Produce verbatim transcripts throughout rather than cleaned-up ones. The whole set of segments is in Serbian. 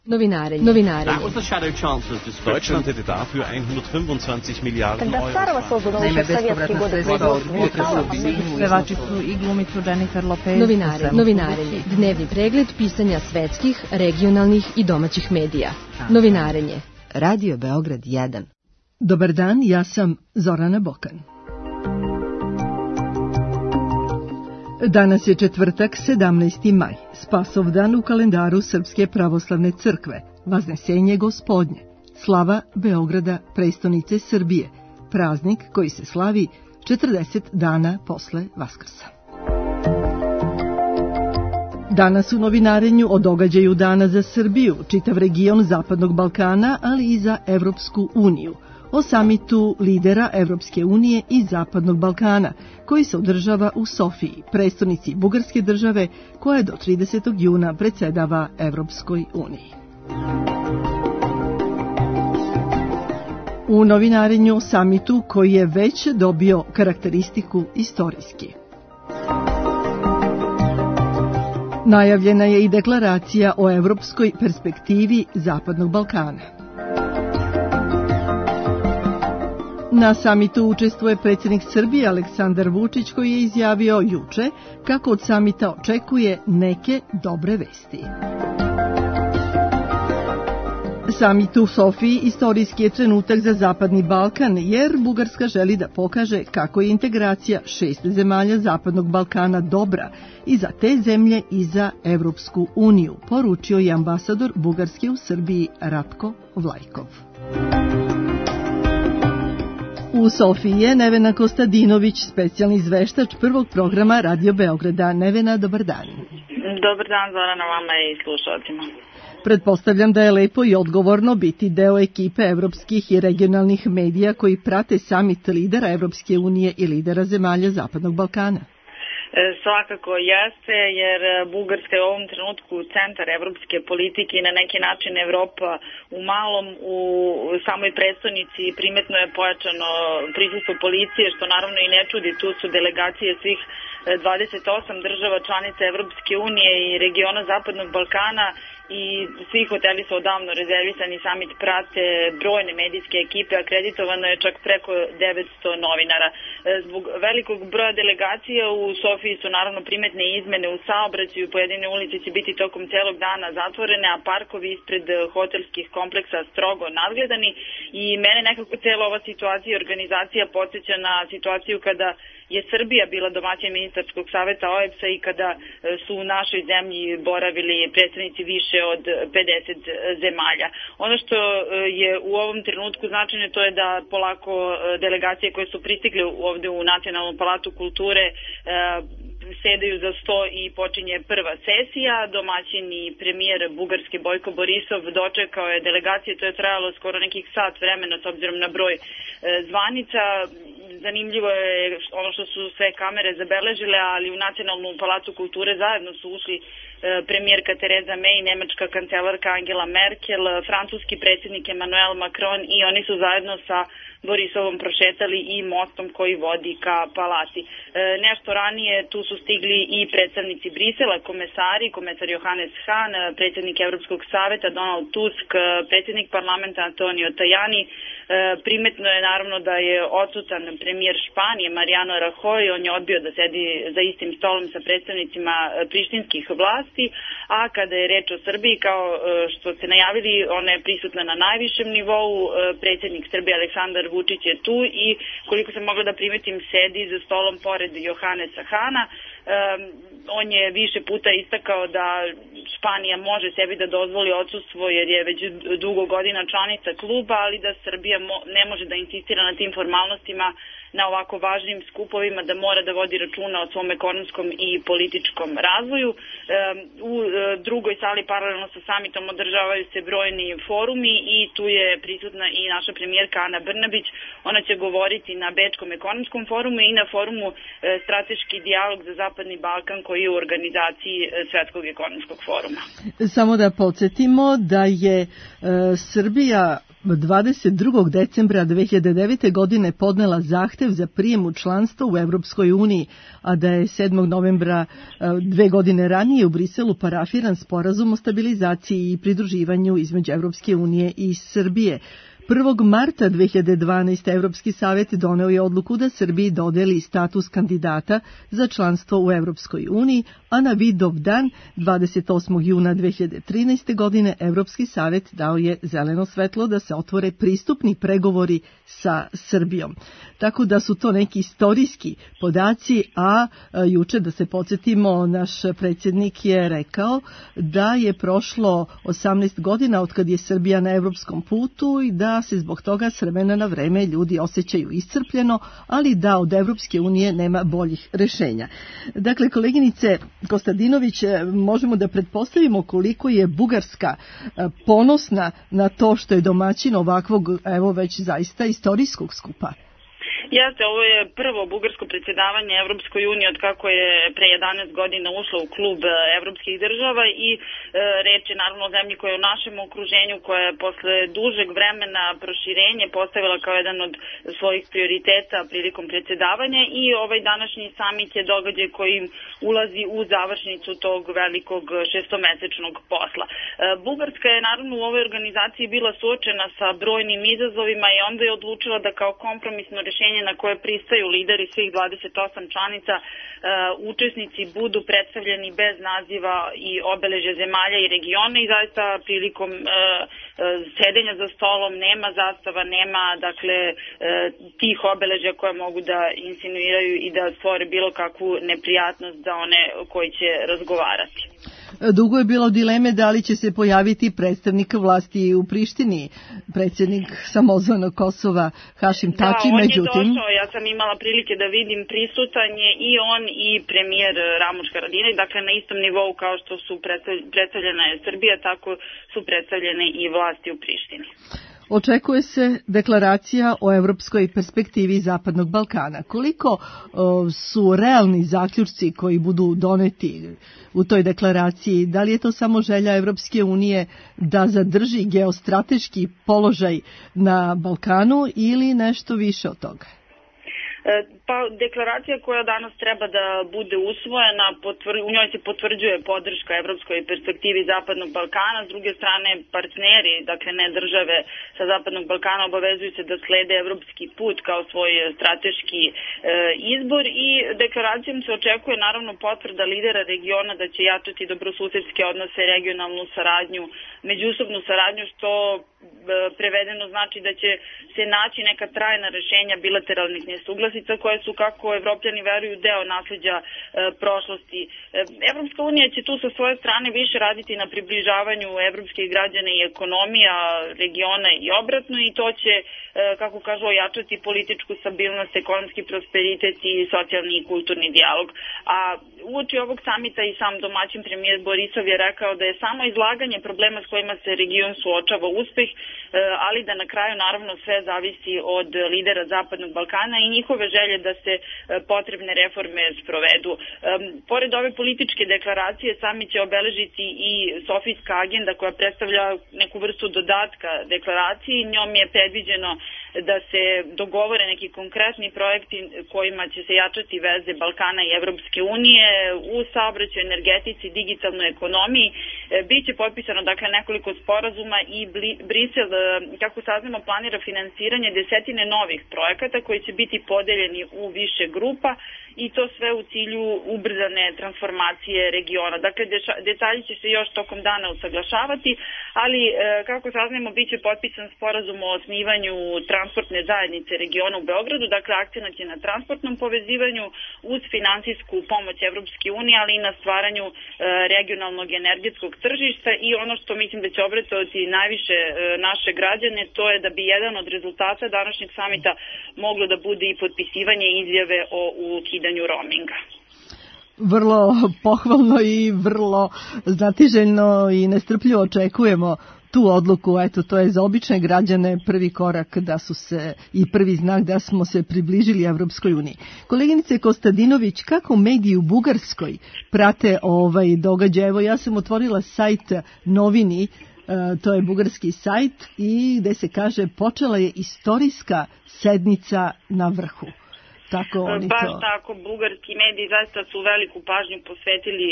Novinarenje. Novinarenje. Deutschland hätte dafür hundertfünfundzwanzig Milliarden Euro. Naime, bespovratna sredstva od pevačicu i glumicu Jennifer Lopez. Novinarenje. Novinarenje. Dnevni pregled pisanja svetskih, regionalnih i domaćih medija. Novinarenje. Radio Beograd jedan. Dobar dan, ja sam Zorana Bokan. Danas je četvrtak, sedamnaesti maj, Spasov dan u kalendaru Srpske pravoslavne crkve, Vaznesenje Gospodnje, slava Beograda, prestonice Srbije, praznik koji se slavi četrdeset dana posle Vaskrsa. Danas u novinarenju o događaju dana za Srbiju, čitav region Zapadnog Balkana, ali i za Evropsku uniju, o samitu lidera Evropske unije i Zapadnog Balkana, koji se održava u Sofiji, prestonici Bugarske države, koja do tridesetog juna predsedava Evropskoj uniji. U novinarenju o samitu koji je već dobio karakteristiku istorijski. Najavljena je i deklaracija o evropskoj perspektivi Zapadnog Balkana. Na samitu učestvuje predsjednik Srbije Aleksandar Vučić, koji je izjavio juče kako od samita očekuje neke dobre vesti. Samit u Sofiji istorijski je trenutak za Zapadni Balkan, jer Bugarska želi da pokaže kako je integracija šest zemalja Zapadnog Balkana dobra i za te zemlje i za Evropsku uniju, poručio je ambasador Bugarske u Srbiji Ratko Vlajkov. U Sofiji je Nevena Kostadinović, specijalni izveštač prvog programa Radio Beograda. Nevena, dobar dan. Dobar dan, Zorana, vama i slušalcima. Pretpostavljam da je lepo i odgovorno biti deo ekipe evropskih i regionalnih medija koji prate samit lidera Evropske unije i lidera zemalja Zapadnog Balkana. Svakako jeste, jer Bugarska je u ovom trenutku centar evropske politike i na neki način Evropa u malom, u samoj prestonici primetno je pojačano prisustvo policije, što naravno i ne čudi, tu su delegacije svih dvadeset osam država članica Evropske unije i regiona Zapadnog Balkana i svi hoteli su odavno rezervisani, samit prate brojne medijske ekipe, akreditovano je čak preko devetsto novinara. Zbog velikog broja delegacija u Sofiji su naravno primetne izmene u saobraćaju, pojedine ulice će biti tokom celog dana zatvorene, a parkovi ispred hotelskih kompleksa strogo nadgledani i mene nekako cela ova situacija i organizacija podsjeća na situaciju kada je Srbija bila domaćin ministarskog saveta O E B S-a i kada su u našoj zemlji boravili predstavnici više od pedeset zemalja. Ono što je u ovom trenutku značajno to je da polako delegacije koje su pristigle ovde u Nacionalnom palatu kulture sedaju za sto i počinje prva sesija. Domaćin i premijer Bugarske Bojko Borisov dočekao je delegacije, to je trajalo skoro nekih sat vremena s obzirom na broj zvanica. Zanimljivo je ono što su sve kamere zabeležile, ali u Nacionalnu palatu kulture zajedno su ušli premijerka Tereza May, nemačka kancelarka Angela Merkel, francuski predsjednik Emmanuel Macron i oni su zajedno sa Borisovom prošetali i mostom koji vodi ka palati. E, nešto ranije tu su stigli i predstavnici Brisela, komesari, komesar Johannes Hahn, predsjednik Evropskog saveta Donald Tusk, predsjednik parlamenta Antonio Tajani. E, primetno je naravno da je odsutan premijer Španije Mariano Rajoy, on je odbio da sedi za istim stolom sa predstavnicima prištinskih vlasti, a kada je reč o Srbiji, kao što ste najavili, ona je prisutna na najvišem nivou, predsjednik Srbije Aleksandar Vučić je tu i koliko sam mogla da primetim sedi za stolom pored Johannesa Hana. Um, on je više puta istakao da Španija može sebi da dozvoli odsustvo jer je već dugo godina članica kluba, ali da Srbija mo ne može da insistira na tim formalnostima na ovako važnim skupovima, da mora da vodi računa o svom ekonomskom i političkom razvoju. Um, u uh, drugoj sali paralelno sa samitom održavaju se brojni forumi i tu je prisutna i naša premijerka Ana Brnabić. Ona će govoriti na Bečkom ekonomskom forumu i na forumu uh, Strateški dijalog za Zapadni Balkan koji je u organizaciji Svetskog ekonomskog foruma. Samo da podsjetimo da je e, Srbija dvadeset drugog decembra dve hiljade devete. godine podnela zahtev za prijem u članstvo u Evropskoj uniji, a da je sedmog novembra dve godine ranije u Briselu parafiran sporazum o stabilizaciji i pridruživanju između Evropske unije i Srbije. prvog marta dve hiljade dvanaeste. Evropski savjet doneo je odluku da Srbiji dodeli status kandidata za članstvo u Evropskoj uniji, a na Vidov dan dvadeset osmog juna dve hiljade trinaeste. godine Evropski savjet dao je zeleno svetlo da se otvore pristupni pregovori sa Srbijom. Tako da su to neki istorijski podaci, a juče, da se podsjetimo, naš predsjednik je rekao da je prošlo osamnaest godina od kad je Srbija na evropskom putu i da se zbog toga s vremena na vreme ljudi osjećaju iscrpljeno, ali da od Evropske unije nema boljih rešenja. Dakle, koleginice Kostadinović, možemo da pretpostavimo koliko je Bugarska ponosna na to što je domaćin ovakvog, evo već zaista istorijskog skupa. Jeste, ovo je prvo bugarsko predsjedavanje Evropskoj uniji od kako je pre jedanaest godina ušla u klub evropskih država i e, reč je naravno o zemlji koja je u našem okruženju, koja je posle dužeg vremena proširenje postavila kao jedan od svojih prioriteta prilikom predsjedavanja i ovaj današnji samit je događaj koji ulazi u završnicu tog velikog šestomesečnog posla. E, Bugarska je naravno u ovoj organizaciji bila suočena sa brojnim izazovima i onda je odlučila da kao kompromisno rešenje na koje pristaju lideri svih dvadeset osam članica, uh, učesnici budu predstavljeni bez naziva i obeležja zemalja i regiona i zaista prilikom uh, sedenja za stolom nema zastava, nema dakle uh, tih obeležja koje mogu da insinuiraju i da stvore bilo kakvu neprijatnost za one koji će razgovarati. Dugo je bilo dileme da li će se pojaviti predstavnik vlasti u Prištini, predsjednik samozvanog Kosova Hašim Tači, da, on međutim... je došao, ja sam imala prilike da vidim prisutan je i on i premijer Ramuš Haradinaj, dakle na istom nivou kao što su predstavljena je Srbija, tako su predstavljene i vlasti u Prištini. Očekuje se deklaracija o evropskoj perspektivi Zapadnog Balkana. Koliko o, su realni zaključci koji budu doneti u toj deklaraciji? Da li je to samo želja Evropske unije da zadrži geostrateški položaj na Balkanu ili nešto više od toga? Pa deklaracija koja danas treba da bude usvojena, potvr, u njoj se potvrđuje podrška evropskoj perspektivi Zapadnog Balkana, s druge strane partneri, dakle ne države sa Zapadnog Balkana, obavezuju se da slede evropski put kao svoj strateški e, izbor i deklaracijom se očekuje naravno potvrda lidera regiona da će jačati dobrosusedske odnose, regionalnu saradnju, međusobnu saradnju, što e, prevedeno znači da će se naći neka trajna rešenja bilateralnih nesuglasica koje su, kako evropljani veruju, deo nasleđa e, prošlosti. E, Evropska unija će tu sa svoje strane više raditi na približavanju evropskih građana i ekonomija regiona i obratno i to će, e, kako kažu, ojačati političku stabilnost, ekonomski prosperitet i socijalni i kulturni dijalog. A uoči ovog samita i sam domaćin premijer Borisov je rekao da je samo izlaganje problema s kojima se region suočava uspeh, e, ali da na kraju naravno sve zavisi od lidera Zapadnog Balkana i njihove želje da se potrebne reforme sprovedu. Pored ove političke deklaracije, samit će obeležiti i Sofijska agenda koja predstavlja neku vrstu dodatka deklaraciji. Njom je predviđeno da se dogovore neki konkretni projekti kojima će se jačati veze Balkana i Evropske unije u saobraćaju, energetici, digitalnoj ekonomiji. Biće potpisano dakle nekoliko sporazuma i Brisel, kako saznamo, planira finansiranje desetine novih projekata koji će biti podeljeni u više grupa i to sve u cilju ubrzane transformacije regiona. Dakle, detalji će se još tokom dana usaglašavati, ali kako saznamo, biće potpisan sporazum o osnivanju transportne zajednice regiona u Beogradu, dakle akcenat je na transportnom povezivanju uz finansijsku pomoć Evropske unije, ali i na stvaranju regionalnog energetskog tržišta i ono što mislim da će obradovati najviše naše građane, to je da bi jedan od rezultata današnjeg samita moglo da bude i potpisivanje izjave o ukidanju roaminga. Vrlo pohvalno i vrlo znatiželjno i nestrpljivo očekujemo tu odluku, eto, to je za obične građane prvi korak da su se i prvi znak da smo se približili Evropskoj uniji. Koleginice Kostadinović, kako mediji u Bugarskoj prate ovaj događaj? Evo, ja sam otvorila sajt Novini, to je bugarski sajt, i gde se kaže počela je istorijska sednica na vrhu. Tako oni Baš to... tako, bugarski mediji zaista su veliku pažnju posvetili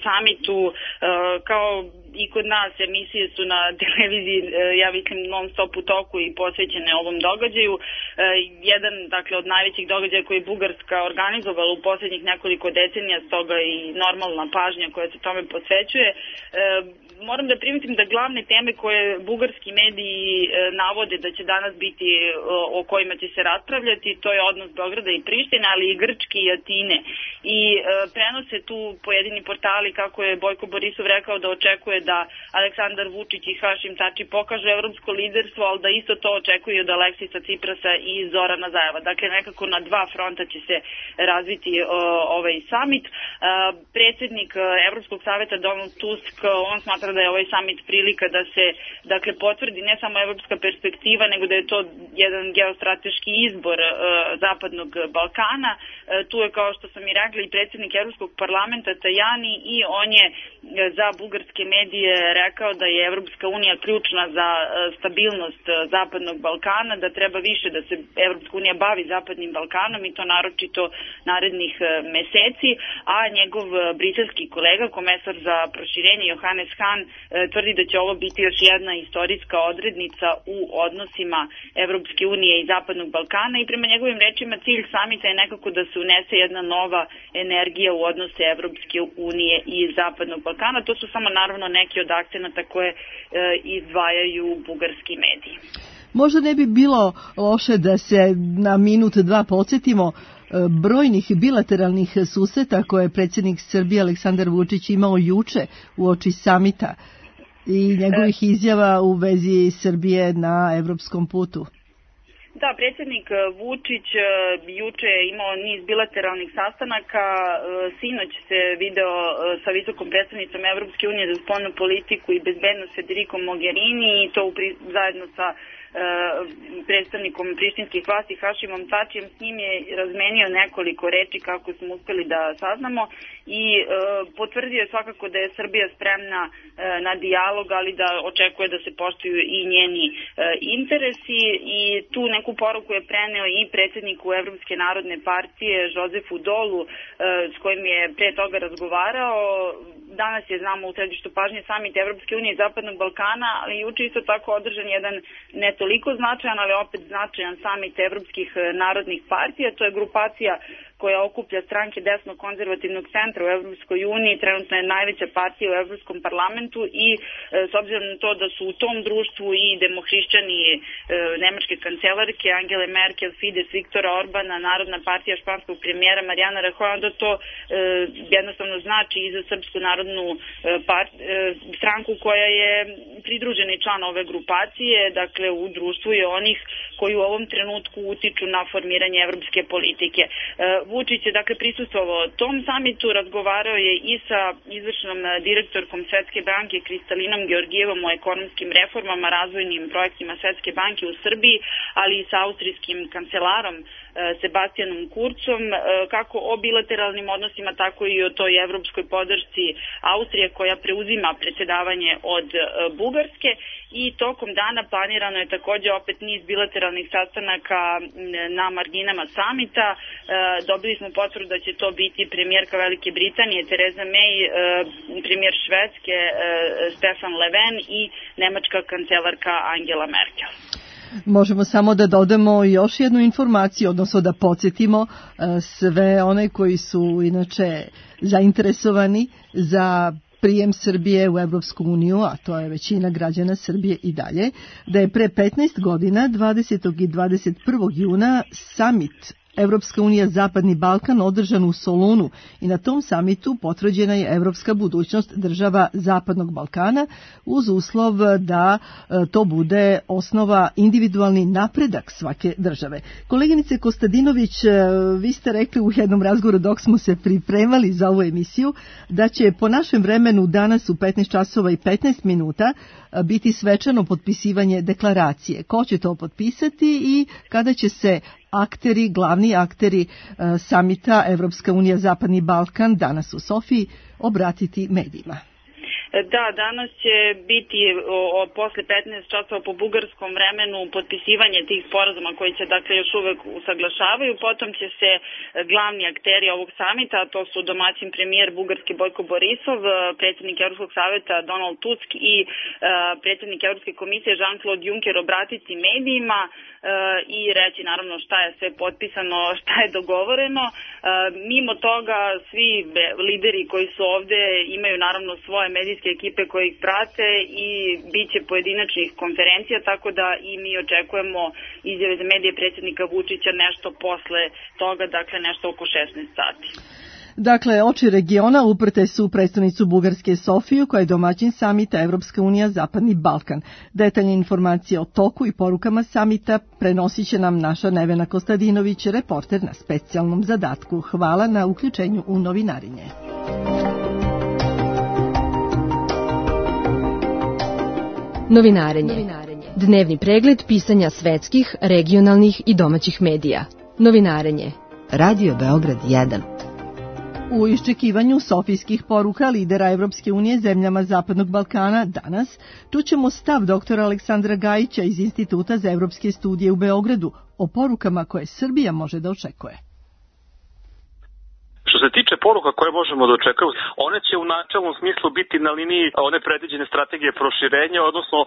samitu, kao i kod nas emisije su na televiziji, ja mislim, non stop u toku i posvećene ovom događaju. Jedan, dakle, od najvećih događaja koji je Bugarska organizovala u posljednjih nekoliko decenija, stoga i normalna pažnja koja se tome posvećuje. Moram da primetim da glavne teme koje bugarski mediji navode da će danas biti, o kojima će se raspravljati, to je odnos Beograda i Prištine, ali i Grčke i Atine. I prenose tu pojedini portali kako je Bojko Borisov rekao da očekuje da Aleksandar Vučić i Hašim Tači pokažu evropsko liderstvo, ali da isto to očekuju od Aleksisa Ciprasa i Zorana Zajeva. Dakle, nekako na dva fronta će se razviti uh, ovaj samit. Uh, predsjednik Evropskog saveta Donald Tusk, on smatra da je ovaj samit prilika da se, dakle, potvrdi ne samo evropska perspektiva, nego da je to jedan geostrateški izbor uh, Zapadnog Balkana. Uh, tu je, kao što sam i rekla, i predsjednik Evropskog parlamenta Tajani, i on je za bugarske medije rekao da je Evropska unija ključna za stabilnost Zapadnog Balkana, da treba više da se Evropska unija bavi Zapadnim Balkanom, i to naročito narednih meseci, a njegov briselski kolega, komesar za proširenje Johannes Hahn, tvrdi da će ovo biti još jedna istorijska odrednica u odnosima Evropske unije i Zapadnog Balkana, i prema njegovim rečima cilj samita je nekako da se unese jedna nova energija u odnose Evropske unije i Zapadnog Balkana. To su samo naravno neki od akcenata koje e, izdvajaju bugarski mediji. Možda ne bi bilo loše da se na minut dva podsjetimo brojnih bilateralnih susreta koje je predsjednik Srbije Aleksandar Vučić imao juče uoči samita i njegovih izjava u vezi Srbije na evropskom putu. Da, predsjednik Vučić juče je imao niz bilateralnih sastanaka, sinoć se video sa visokom predstavnicom Evropske unije za spoljnu politiku i bezbednost Federico Mogherini, i to zajedno sa predstavnikom prištinskih vlasti Hašimom Tačijem. S njim je razmenio nekoliko reči, kako smo uspeli da saznamo, i e, potvrdio je svakako da je Srbija spremna e, na dijalog, ali da očekuje da se poštuju i njeni e, interesi, i tu neku poruku je preneo i predsjedniku Evropske narodne partije Jozefu Dolu, e, s kojim je pre toga razgovarao. Danas je, znamo, u središtu pažnje samit Evropske unije i Zapadnog Balkana, ali juče isto tako održan jedan ne toliko značajan, ali opet značajan samit Evropskih narodnih partija. To je grupacija koja okuplja stranke desno-konzervativnog centra u Evropskoj uniji, trenutno je najveća partija u Evropskom parlamentu, i e, s obzirom na to da su u tom društvu i demohrišćani e, nemačke kancelarke Angele Merkel, Fides Viktora Orbana, Narodna partija španskog premijera Marijana Rajoja, onda to e, jednostavno znači i za Srpsku narodnu e, part, e, stranku koja je pridruženi član ove grupacije. Dakle, u društvu je onih koji u ovom trenutku utiču na formiranje evropske politike. E, Vučić je, dakle, prisustvovao tom samitu, razgovarao je i sa izvršnom direktorkom Svetske banke Kristalinom Georgijevom o ekonomskim reformama, razvojnim projektima Svetske banke u Srbiji, ali i sa austrijskim kancelarom Sebastianom Kurcom, kako o bilateralnim odnosima, tako i o toj evropskoj podršci Austrije koja preuzima predsjedavanje od Bugarske. I tokom dana planirano je također opet niz bilateralnih sastanaka na marginama samita. Dobili smo potvrdu da će to biti premijerka Velike Britanije Theresa May, premijer Švedske Stefan Löfven i nemačka kancelarka Angela Merkel. Možemo samo da dodamo još jednu informaciju, odnosno da podsjetimo sve one koji su inače zainteresovani za prijem Srbije u Evropsku uniju, a to je većina građana Srbije i dalje, da je pre petnaest godina, dvadesetog i dvadeset prvog juna, samit Evropska unija Zapadni Balkan održan u Solunu i na tom samitu potvrđena je evropska budućnost država Zapadnog Balkana uz uslov da to bude osnova individualni napredak svake države. Koleginice Kostadinović, vi ste rekli u jednom razgovoru dok smo se pripremali za ovu emisiju da će po našem vremenu danas u petnaest časova i petnaest minuta biti svečano potpisivanje deklaracije. Ko će to potpisati i kada će se akteri, glavni akteri samita Evropska unija Zapadni Balkan danas u Sofiji obratiti medijima? Da, danas će biti o, posle petnaest časova po bugarskom vremenu potpisivanje tih sporazuma koji se dakle još uvek usaglašavaju. Potom će se glavni akteri ovog samita, a to su domaćin premijer bugarski Bojko Borisov, predsjednik Evropskog saveta Donald Tusk i uh, predsjednik Evropske komisije Jean-Claude Juncker obratiti medijima uh, i reći naravno šta je sve potpisano, šta je dogovoreno. Uh, mimo toga svi lideri koji su ovde imaju naravno svoje medijske ekipe koje ih prate i bit će pojedinačnih konferencija, tako da i mi očekujemo izjave za medije predsjednika Vučića nešto posle toga, dakle nešto oko šesnaest sati. Dakle, oči regiona uprte su u predstavnicu Bugarske Sofiju, koja je domaćin samita Evropska unija Zapadni Balkan. Detaljne informacije o toku i porukama samita prenosit će nam naša Nevena Kostadinović, reporter na specijalnom zadatku. Hvala na uključenju u novinarinje. Novinarenje. Dnevni pregled pisanja svetskih, regionalnih i domaćih medija. Novinarenje. Radio Beograd jedan. U iščekivanju sofijskih poruka lidera Evropske unije zemljama Zapadnog Balkana danas čućemo stav doktora Aleksandra Gajića iz Instituta za evropske studije u Beogradu o porukama koje Srbija može da očekuje. Što se tiče poruka koje možemo da očekujemo, one će u načelnom smislu biti na liniji one predviđene strategije proširenja, odnosno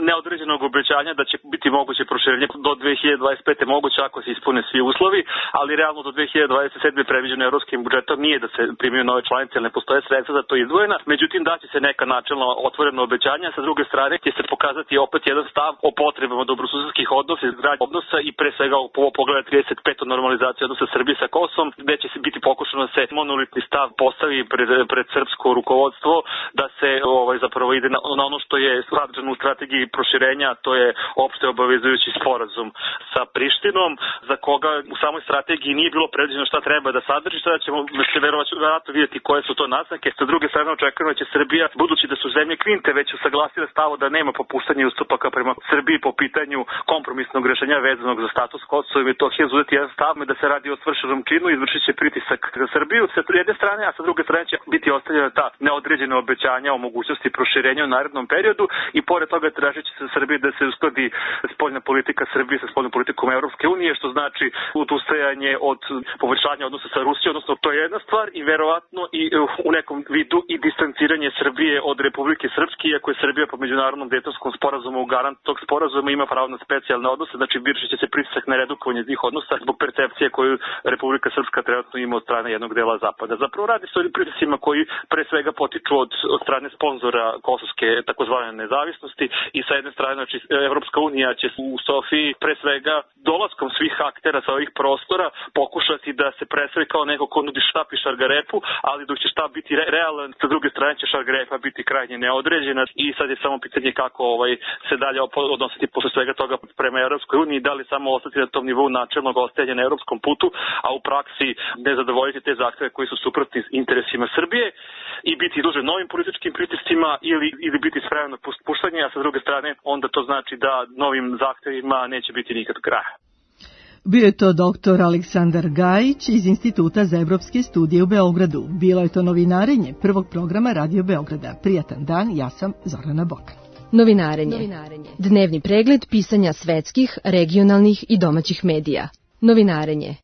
neodređenog obećanja da će biti moguće proširenje do dve hiljade dvadeset pete moguće ako se ispune svi uslovi, ali realno do dve hiljade dvadeset sedme predviđeno evropskim budžetom nije da se primiju nove članice, jer ne postoje sredstva za to izdvojena, međutim daće se neka načelno otvorena obećanja, sa druge strane će se pokazati opet jedan stav o potrebama dobrosusedskih odnosa, izgradnje odnosa i pre svega u pogledu trideset pete normalizacije odnosa Srbije sa Kosovom, gde će se biti pokušano se monolitni stav postavi pred, pred srpsko rukovodstvo, da se ovaj, zapravo ide na, na ono što je sadržano u strategiji proširenja, to je opšte obavezujući sporazum sa Prištinom, za koga u samoj strategiji nije bilo predviđeno šta treba da sadrži, sada ćemo se verovatno vidjeti koje su to naznake. Sa druge strane očekujemo da će Srbija, budući da su zemlje Kvinte već usaglasile stavo da nema popuštanja ustupaka prema Srbiji po pitanju kompromisnog rešenja vezanog za status Kosova i Metohije, uzeti jedan stav da se radi o svršenom činu i izvršit će pritisak za Srbiju sa jedne strane, a sa druge strane će biti ostavljena ta neodređena obećanja o mogućnosti proširenja u narednom periodu i pored toga tražit će se Srbiji da se uskladi spoljna politika Srbije sa spoljnom politikom Evropske unije, što znači odustajanje od poboljšanja odnosa sa Rusijom, odnosno to je jedna stvar i verovatno i u nekom vidu i distanciranje Srbije od Republike Srpske, iako je Srbija po međunarodnom Dejtonskom sporazumu garant tog sporazuma ima pravo na specijalne odnose, znači vršit će se pritisak na redukovanje tih odnosa zbog percepcije koju Republika Srpska trenutno ima od strane jednog dela Zapada. Zapravo radi se o pritiscima koji pre svega potiču od, od strane sponzora kosovske takozvane nezavisnosti i sa jedne strane, znači, Evropska unija će u Sofiji pre svega dolaskom svih aktera sa ovih prostora pokušati da se predstavi kao neko ko nudi štap i šargarepu, ali dok će štap biti re, realan, sa druge strane će šargarepa biti krajnje neodređena i sad je samo pitanje kako ovaj, se dalje odnositi posle svega toga prema Evropskoj uniji, da li samo ostati na tom nivou načelnog ostajanja na evropskom putu, a u praksi ne zadovoljiti te zahteve koji su suprotni interesima Srbije i biti duže novim političkim pritiscima ili, ili biti spreman na puštanje, a sa druge strane onda to znači da novim zahtevima neće biti nikad kraja. Bio je to doktor Aleksandar Gajić iz Instituta za evropske studije u Beogradu. Bilo je to novinarenje prvog programa Radio Beograda. Prijatan dan, ja sam Zorana Bokan. Novinarenje. Novinarenje. Dnevni pregled pisanja svetskih, regionalnih i domaćih medija. Novinarenje.